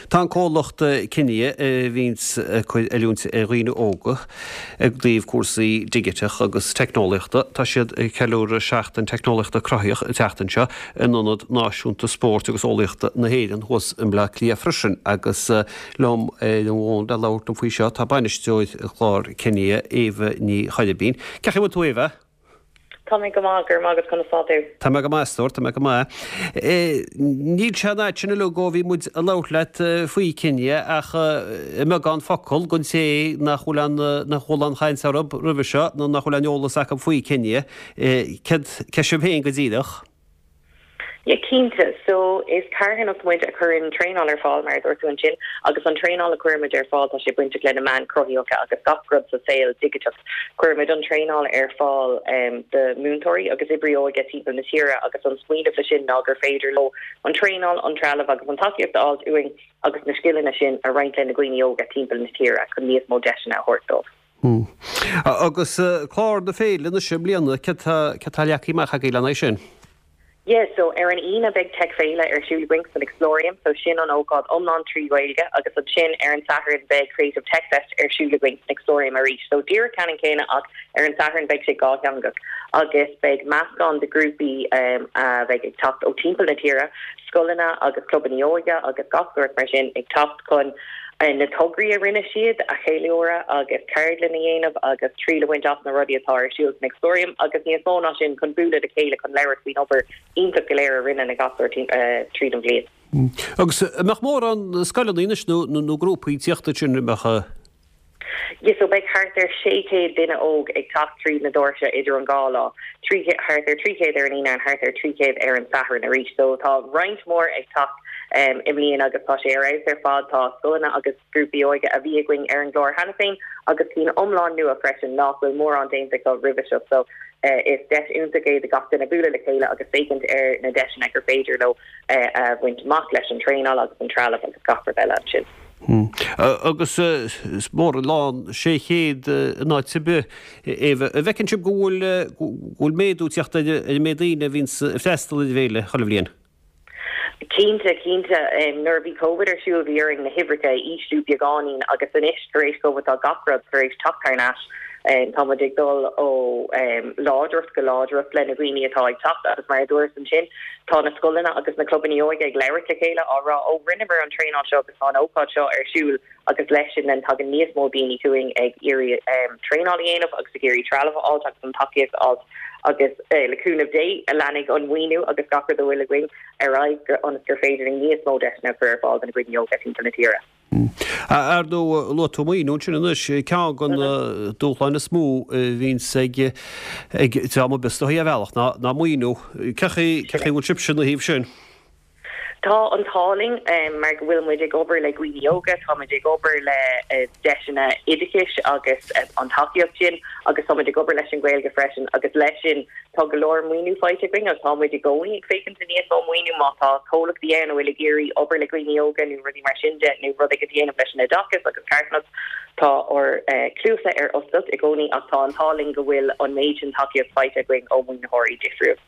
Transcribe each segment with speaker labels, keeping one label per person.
Speaker 1: Tá an comhlacht Kinia, a bhíonns ag cur oiliúint ar dhaoine óga i dtaobh cúrsaí digiteach agus teicneolaíochta, tá siad ag ceiliúradh Seachtain Teicneolaíochta Cruthaitheach an tseachtain seo in Ionad Náisiúnta Spóirt agus Eolaíochta na hÉireann thuas i mBleá Cliath freisin agus liom ar an bhfón le labhairt liom faoi seo tá bainisteoir chlár Kinia, Éabha Ní Choirbín. Cén chaoi a bhfuil tú Éabha?
Speaker 2: Tá mé go maith, go raibh maith agat, conas tá tú?
Speaker 1: Tá mé go maith, a stór, tá mé go maith. Níl sé an fhad sin uilig ó bhí muid ag labhairt leat faoi Kinia ach i mbeagán focal don té nach bhfuil aon, nach bhfuil aon chaint orthu roimhe seo nó nach bhfuil aon eolas acu faoi Kinia, céard, cé sibh féin go díreach?
Speaker 2: Yeah, cinnte. So, is carthanacht muid a chuireann traenáil ar fáil, mar a dúirt tú ansin, agus an traenáil a chuirimid ar fáil, tá sé bainteach le na meáin cruthaitheacha agus gach rud sa saol digiteach. Cuirimid an traenáil ar fáil do múinteoirí agus oibrí óige timpeall na tíre agus an smaoineamh le sin ná gur féidir leo an traenáil, an trealamh agus an tacaíocht a fháilt uainn agus na scileanna sin a roinnt le na dhaoine óga timpeall na tíre chun níos mó deiseanna a thabhairt dóibh.
Speaker 1: Agus clár na féile anois i mbliana, céard tá leagtha amach agaibh lena aghaidh sin?
Speaker 2: Yeah, so ar an Aoine beidh Tech Féile ar siúl againn san Explorium, so sin an ócáid iomlán 3 Ghaeilge agus ansin ar an Satharn beidh Creative Tech Fest ar siúl againn san Explorium arís. So díreach ceannann céanna ach ar an Satharn beidh sé dhátheangach agus beidh meascán de ghrúpaí a bheidh ag teacht ó timpeall na tíre, scoileanna agus clubanna óige agus gach sórt mar sin ag teacht chun na tograí a rinne siad a cheiliúradh agus ceardlann a dhéanamh agus triail a bhaint as na rudaí atá ar siúl san Explorium agus níos mó ná sin chun bualadh le chéile chun labhairt faoin obair iontach go léir a rinne na gasúir tríd an bhliain.
Speaker 1: Agus an mbeadh mórán scoileanna anois nó grúpaí ag tíocht ansin, an mbeadh?
Speaker 2: Yeah, so beidh thart ar 600 duine óg ag teacht tríd na doirse idir an dhá lá, thart ar 300 ar an Aoine and thart ar 300 ar an Satharn arís. So tá roinnt mhór ag teacht i mbliana agus tá sé ar fheabhas ar fad. Tá scoileanna agus grúpaí óige a bhí againn ar an gclár cheana féin agus cinn iomlán nua freisin nach bhfuil mórán déanta acu roimhe seo. So is deis iontach é do gach duine bualadh le chéile agus féachaint ar na deiseanna gur féidir leo a bhaint amach leis an traenáil agus an trealamh agus gach rud eile ansin.
Speaker 1: Agus is mór an lán 600 in áit ar bith. Éabha, an bhfeiceann sibh go bhfuil go bhfuil méadú ag teacht ar an méid daoine a bhíonns ag freastal ar an bhféile chuile bhliain?
Speaker 2: Cinnte, cinnte. Nuair a bhí Covid ar siúl bhí orainn na huimhreacha a ísliú beagáinín agus anois tar éis Covid tá gach rud tar éis teacht thar n-ais. Tá muid ag dul ó láidreacht go láidreacht le na dhaoine atá ag teacht agus mar a dúras ansin tá na scoileanna agus na clubanna óige ag labhairt le chéile á rá 'ó rinneamar an traenáil seo agus tá an ócáid seo ar siúl agus leis sin then tagann níos mó daoine chugainn ag iarraidh traenáil a dhéanamh agus ag iarraidh trealamh a fháilt agus an tacaíocht a fháilt agus le cúnamh Dé leanfaidh an maoiniú agus gach rud a bhfuil againn ar aghaidh ionas gur féidir linn níos mó deiseanna a chur ar fáil do na daoine óga timpeall na tíre.
Speaker 1: Ar ndóigh, luaigh tú maoiniú ansin anois, ceann de na dúshláin is mó a bhíonns ag ag dream ar bith is dóichí ar bhealach ná ná maoiniú. Cén chaoi cén chaoi a bhfuil sibhse ina thaobh sin?
Speaker 2: Tá an t-ádh linn mar go bhfuil muid ag obair le dhaoine óga, tá muid ag obair le deiseanna oideachais agus an tacaíocht sin agus tá muid ag obair leis an Ghaeilge freisin agus leis sin tá go leor maoiniú faighte againn agus tá muid i gcónaí ag féachaint do níos mó maoiniú má tá comhlachtaí ann a bhfuil ag iarraidh obair le dhaoine óga nó rudaí mar sin de nó rud éigin a dhéanamh leis an oideachas agus carthanacht. Tá ár cluasa ar oscailt i gcónaí ach tá an t-ádh linn go bhfuil an méid sin tacaíocht faighte againn ó mhaoinitheoirí difriúil.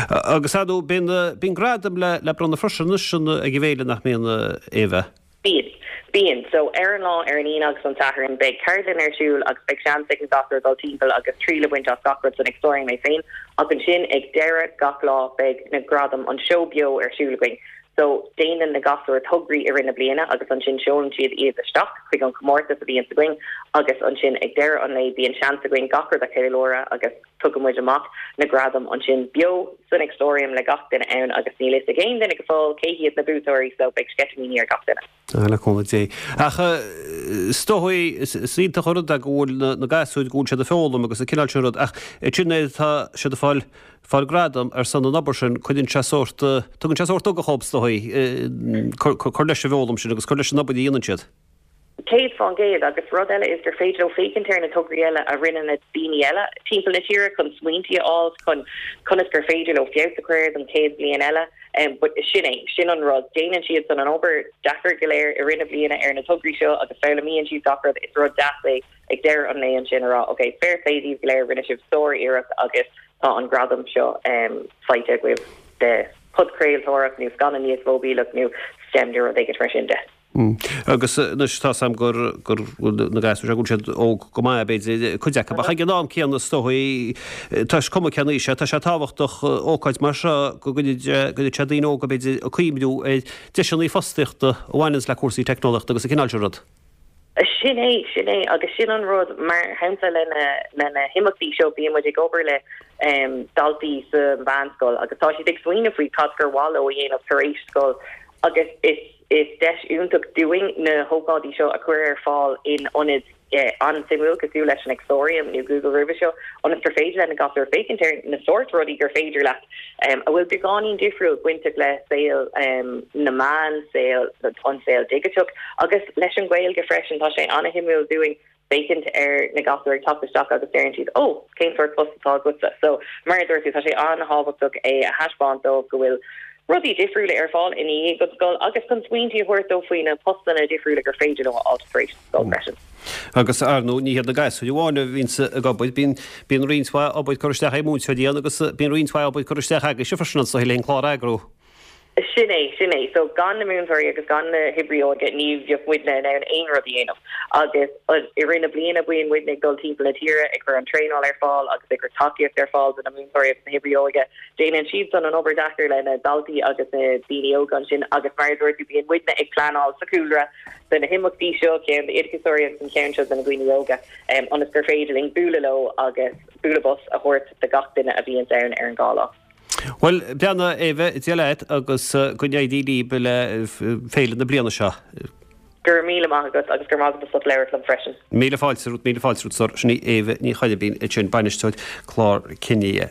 Speaker 1: Agus ar ndóigh, bíonn, bíonn gradaim le, le bronnadh freisin anois ag an bhféile, nach mbíonn, a Éabha?
Speaker 2: Bíonn. Bíonn. So, ar an lá, ar an Aoine agus an Satharn, beidh ceardlann ar siúl agus beidh seans ag na gasúir dul timpeall agus triail a bhaint as gach rud san Explorium é féin. Ach ansin, ag deireadh gach lá, beidh na gradaim, an seó beo ar siúl againn. So, déanann na gasúir tograí i rith na bliana agus ansin seolann siad iad isteach chuig an chomórtas a bhíonns againn agus ansin ag deireadh an lae bíonn seans againn gach rud a cheiliúradh agus tugann muid amach na gradaim ansin beo san Explorium le gach duine ann agus níl fhios ag aon duine go fóill cé hiad na buaiteoirí so beidh sceitimíní ar gach duine.
Speaker 1: Ah, le cúnamh Dé. Ach is dóigh, is iontach an rud é go bhfuil na gasúir, go bhfuil siad ag foghlaim agus an cineál sin rud ach ansin nuair atá siad ag fáil fáil gradam ar son an obair sin, cuireann sé sórt, tugann sé sórt ugach dhóibh is dóigh, cur leis an bhfoghlaim sin agus cur leis an obair a dhéanann siad.
Speaker 2: 100% agus rud eile is gur féidir leo féachaint ar na tograí eile a rinne na daoine eile timpeall na tíre chun smaointí a fháil chun conas gur féidir leo feabhas a chur air don chéad bhliain eile. But sin é, sin an rud, déanann siadsan an obair deacair go léir i rith na bliana ar na tograí seo agus foghlaimíonn siad gach rud, is rud deas é ag deireadh an lae ansin a rá ok, fair play daoibh go léir, rinne sibh sár-iarracht agus tá an gradam seo faighte agaibh de. Podchraoltóireacht nó scannánaíocht mhóibíleach nó STEM nó rud éigin mar sin de.
Speaker 1: Agus anois tá 's a'm gur, gur, na gasúir seo go bhfuil siad óg go maith b'fhéidir, cuid acu, ach ag an am céanna is dóigh, tá is cuma cén aois é, tá sé tábhachtach ócáid mar seo go gcuirfidh sé daoine óga b'fhéidir ag cuimhniú ar deiseanna fostaíochta a bhaineanns le cúrsaí teicneolaíochta agus an cineál sin rud.
Speaker 2: Sin é, sin é, agus sin an rud, mar shampla le na, le na himeachtaí seo bíonn muid ag obair le daltaí sa mheánscoil agus tá siad ag smaoineamh faoi cad gur mhaith leo a dhéanamh tar éis scoil agus is, is deis iontach dúinn na hócáidí seo a chur ar fáil in ionaid an-suimiúil cosúil leis an Explorium nó Google roimhe seo ionas gur féidir le na gasúir féachaint ar na sórt rudaí gur féidir leat a bhfuil beagáinín difriúil bainteach le saol na meán, saol, an saol digiteach agus leis an Ghaeilge freisin. Tá sé an-shuimiúil dúinn féachaint ar na gasúir ag teacht isteach agus deireann siad 'Ó, cén sórt post atá agatsa? So, mar a dúirt tú, tá sé an-thábhachtach é a thaispeáint dóibh go bhfuil rudaí difriúla ar fáil i ndiaidh an scoil agus chun smaointe a thabhairt dóibh faoi na postanna difriúla gur féidir leo a fháil tar éis scoil freisin.
Speaker 1: Agus, ar ndóigh, ní hiad na gasúir amháin a bhíonns ag obair, bíonn, bíonn roinnt mhaith obair curtha isteach ag múinteoirí ann agus bíonn roinnt mhaith obair curtha isteach agaibhse freisin anso le an clár a eagrú.
Speaker 2: Sin é, sin é. So, gan na múinteoirí agus gan na hoibrithe óige ní bheadh muidne in ann aon rud a dhéanamh. Agus i rith na bliana bíonn muidne ag dul timpeall na tíre ag cur an traenáil ar fáil agus ag cur tacaíocht ar fáil do na múinteoirí agus na hoibrithe óige. Déanann siadsan an obair deacair le na daltaí agus na daoine óga ansin agus mar a dúirt tú bíonn muidne ag pleanáil sa chúlra do na himeachtaí seo, ceann d'oideachasóirí agus an ceann seo do na daoine óga, ionas gur féidir linn bualadh leo agus bualadh bos a thabhairt do gach duine a bhíonns ann ar an dhá lá.
Speaker 1: Bhuel, beannacht, Éabha, Dé leat agus go n-éirí libh le féile na bliana seo.
Speaker 2: Go raibh míle maith agat agus go raibh maith agat as ucht labhairt liom freisin.
Speaker 1: Míle fáilte romhat, míle fáilte romhat, Sin í Éabha Ní Choirbín ansin, bainisteoir clár Kinia.